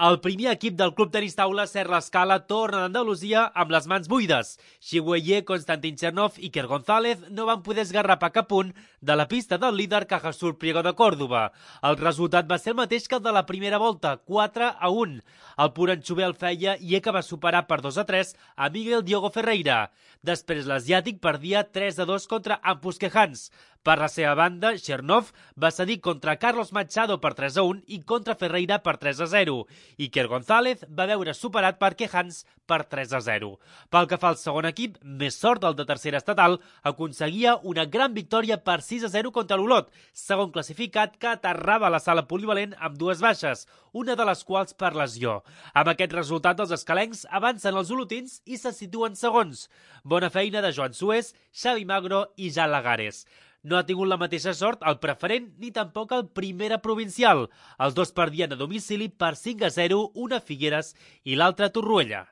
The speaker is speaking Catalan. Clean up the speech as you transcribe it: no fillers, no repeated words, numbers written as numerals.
El primer equip del Club Tenis Taula Ser l'Escala torna d'Andalusia amb les mans buides. Xigüeye, Konstantin Chernov i Iker González no van poder esgarrapar cap punt de la pista del líder Cajasur Priego de Còrdoba. El resultat va ser el mateix que el de la primera volta, 4-1. El Puranxové el feia i Eka va superar per 2-3 a Miguel Diogo Ferreira. Després l'asiàtic perdia 3-2 contra Ampus Kehans. Per la seva banda, Chernov va cedir contra Carlos Machado per 3-1 i contra Ferreira per 3-0. Iker González va veure superat per Kehans per 3-0. Pel que fa al segon equip, més sort el de tercera estatal, aconseguia una gran victòria per 6-0 contra l'Olot, segon classificat que aterrava a la sala polivalent amb dues baixes, una de les quals per lesió. Amb aquest resultat, els escalencs avancen els olotins i se situen segons. Bona feina de Joan Suez, Xavi Magro i Jan Lagares. No ha tingut la mateixa sort el preferent ni tampoc el primera provincial. Els dos perdien a domicili per 5-0, una a Figueres i l'altra a Torroella.